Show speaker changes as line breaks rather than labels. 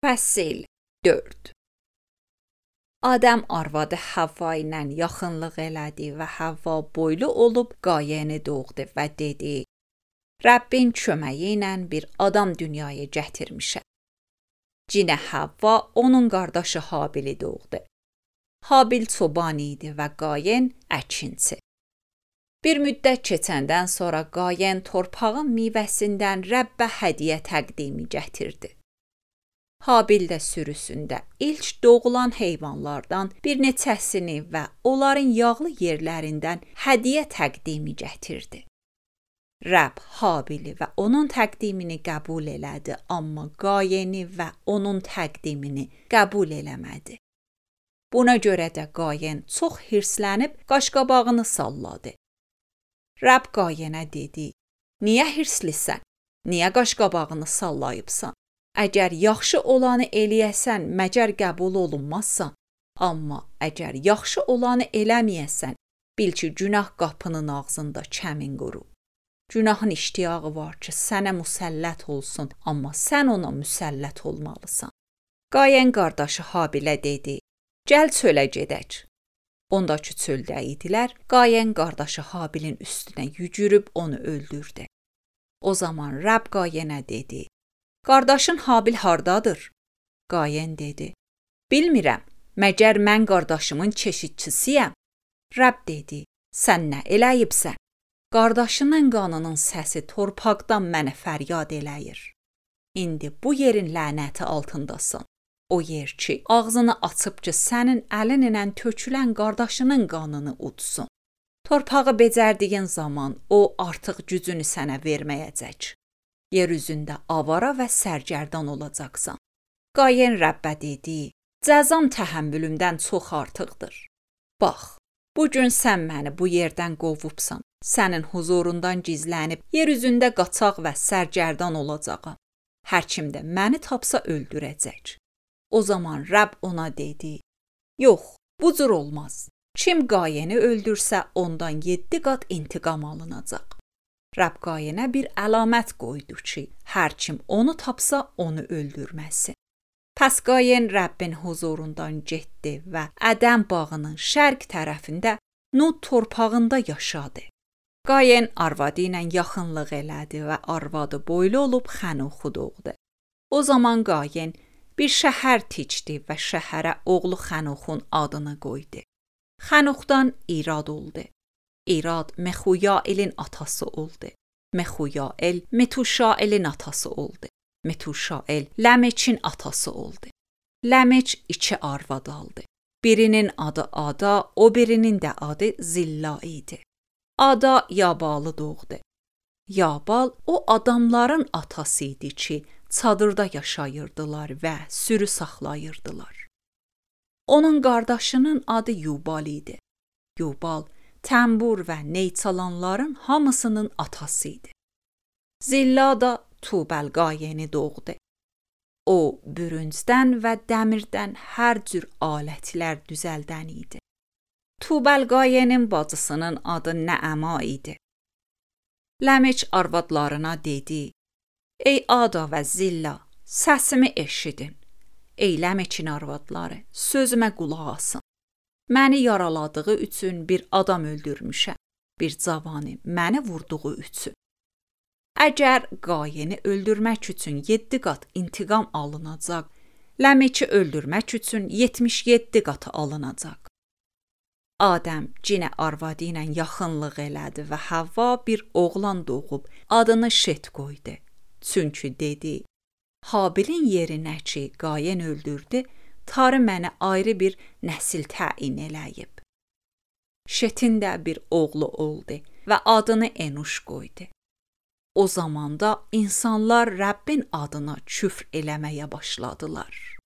Fəsil 4. Adəm arvadı Havva ilə yaxınlıq elədi və Havva boylu olub Qayeni doğdu və dedi: Rəbbin köməyi ilə bir adam dünyaya gətirmişəm. Cinə Havva onun qardaşı Habili doğdu. Habil çoban idi və Qayen əkinçi. Bir müddət keçəndən sonra Qayen torpağın meyvəsindən Rəbbə hədiyyə təqdimi gətirdi. Habil də sürüsündə ilk doğulan heyvanlardan bir neçəsini və onların yağlı yerlərindən hədiyyə təqdimi gətirdi. Rəbb Habili və onun təqdimini qəbul elədi, amma Qayeni və onun təqdimini qəbul eləmədi. Buna görə də Qayen çox hirslənib qaşqabağını salladı. Rəbb Qayenə dedi: Niyə hirslisən? Niyə qaşqabağını sallayıbsan? Əgər yaxşı olanı eləyəsən, məgər qəbul olunmazsan. Amma əgər yaxşı olanı eləməyəsən, bil ki, günah qapının ağzında kəmin qurub. Günahın iştiyağı var ki, sənə müsəllət olsun, amma sən ona müsəllət olmalısan. Qayen qardaşı Habilə dedi: Gəl çölə gedək. Ondakı çöldə idilər, Qayen qardaşı Habilin üstünə yüyürüb onu öldürdü. O zaman Rəbb Qayenə dedi: Qardaşın Habil hardadır? Qayen dedi: Bilmirəm, məgər mən qardaşımın keşikçisiyəm? Rəbb dedi: Sən nə eləyibsən? Qardaşının qanının səsi torpaqdan mənə fəryad eləyir. İndi bu yerin lənəti altındasan. O yer ki, ağzını açıb ki, sənin əlin ilə tökülən qardaşının qanını udsun. Torpağı becərdiyin zaman o artıq gücünü sənə verməyəcək. Yer üzündə avara və sərgərdan olacaqsan. Qayen Rəbbə dedi: Cəzam təhəmmülümdən çox artıqdır. Bax, bugün sən məni bu yerdən qovubsan. Sənin huzurundan gizlənib yer üzündə qaçaq və sərgərdan olacağam. Hər kim də məni tapsa öldürəcək. O zaman Rəbb ona dedi: Yox, bu cür olmaz. Kim Qayeni öldürsə ondan 7 qat intiqam alınacaq. Rəbb Qayenə bir əlamət qoydu ki, hər kim onu tapsa onu öldürməsin. Pəs Qayen Rəbbin huzurundan getdi və Ədəm bağının şərq tərəfində Nut torpağında yaşadı. Qayen arvadı ilə yaxınlıq elədi və arvadı boylu olub Xənuxu doğdu. O zaman Qayen bir şəhər tikdi və şəhərə oğlu Xənuxun adını qoydu. Xənuxdan İrad oldu. İrad Mexuyailin atası oldu. Mexuyail Metuşailin atası oldu. Metuşail Ləmeçin atası oldu. Ləmeç 2 arvad aldı. Birinin adı Ada, o birinin də adı Zilla idi. Ada Yabalı doğdu. Yabal o adamların atası idi ki, çadırda yaşayırdılar və sürü saxlayırdılar. Onun qardaşının adı Yubal idi. Yubal təmbur və ney çalanların hamısının atası idi. Zilla da Tubəl Qayeni doğdu. O, bürüncdən və dəmirdən hər cür alətlər düzəldən idi. Tubəl Qayenin bacısının adı Nəəma idi. Ləmeç arvadlarına dedi: Ey Ada və Zilla, səsimi eşidin. Ey Ləmeçin arvadları, sözümə qulaq asın. Məni yaraladığı üçün bir adam öldürmüşəm, bir cavanı məni vurduğu üçün. Əgər Qayeni öldürmək üçün 7 qat intiqam alınacaq, Ləmeçi öldürmək üçün 77 qatı alınacaq. Adəm cinə arvadı ilə yaxınlıq elədi və Havva bir oğlan doğub adını Şet qoydu. Çünki dedi: Habilin yerinə ki, Qayen öldürdü, Tarı mənə ayrı bir nəsil təyin eləyib. Şetin də bir oğlu oldu və adını Enuş qoydu. O zamanda insanlar Rəbbin adına küfr eləməyə başladılar.